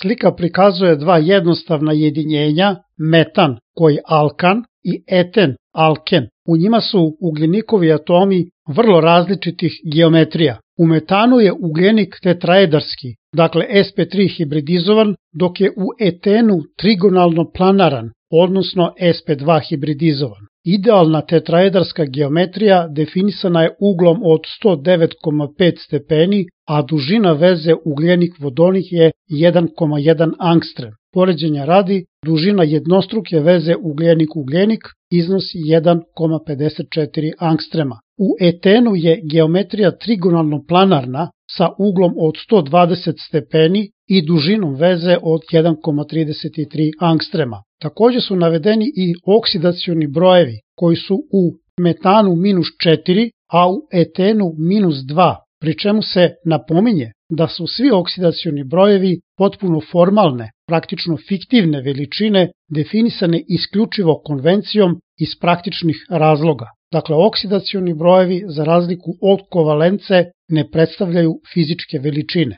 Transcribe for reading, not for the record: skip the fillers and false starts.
Slika prikazuje dva jednostavna jedinjenja, metan koji je alkan i eten alken. U njima su ugljenikovi atomi vrlo različitih geometrija. U metanu je ugljenik tetraedarski, dakle sp3 hibridizovan, dok je u etenu trigonalno planaran, odnosno sp2 hibridizovan. Idealna tetraedarska geometrija definisana je uglom od 109,5 stepeni, a dužina veze ugljenik-vodonik je 1,1 angstrem. Poređenja radi, dužina jednostruke veze ugljenik-ugljenik iznosi 1,54 angstrema. U etenu je geometrija trigonalno planarna sa uglom od 120 stepeni i dužinom veze od 1,33 angstrema. Takođe su navedeni i oksidacioni brojevi koji su u metanu -4, a u etenu -2, pri čemu se napominje da su svi oksidacioni brojevi potpuno formalne, praktično fiktivne veličine definisane isključivo konvencijom iz praktičnih razloga. Dakle, oksidacioni brojevi, za razliku od kovalence, ne predstavljaju fizičke veličine.